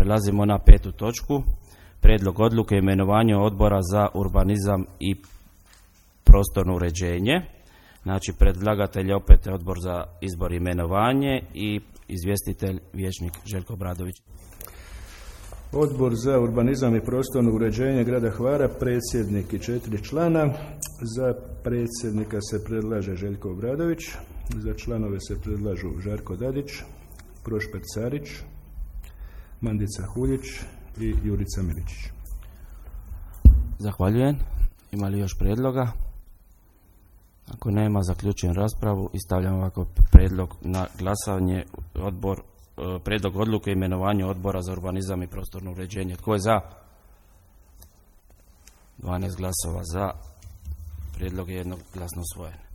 Prelazimo na 5. točku. Prijedlog odluke o imenovanju odbora za urbanizam i prostorno uređenje. Znači, predlagatelj je opet odbor za izbor i imenovanje i izvjestitelj vijećnik Željko Obradović. Odbor za urbanizam i prostorno uređenje grada Hvara, predsjednik i 4 člana. Za predsjednika se predlaže Željko Obradović, za članove se predlažu Žarko Dadić, Prošper Carić, Mandica Huljić i Jurica Miličić. Zahvaljujem. Ima li još prijedloga? Ako nema, zaključujem raspravu i stavljam ovako prijedlog na glasanje. Prijedlog odluke o imenovanju odbora za urbanizam i prostorno uređenje. Tko je za? 12 glasova za. Prijedlog je jednoglasno usvojen.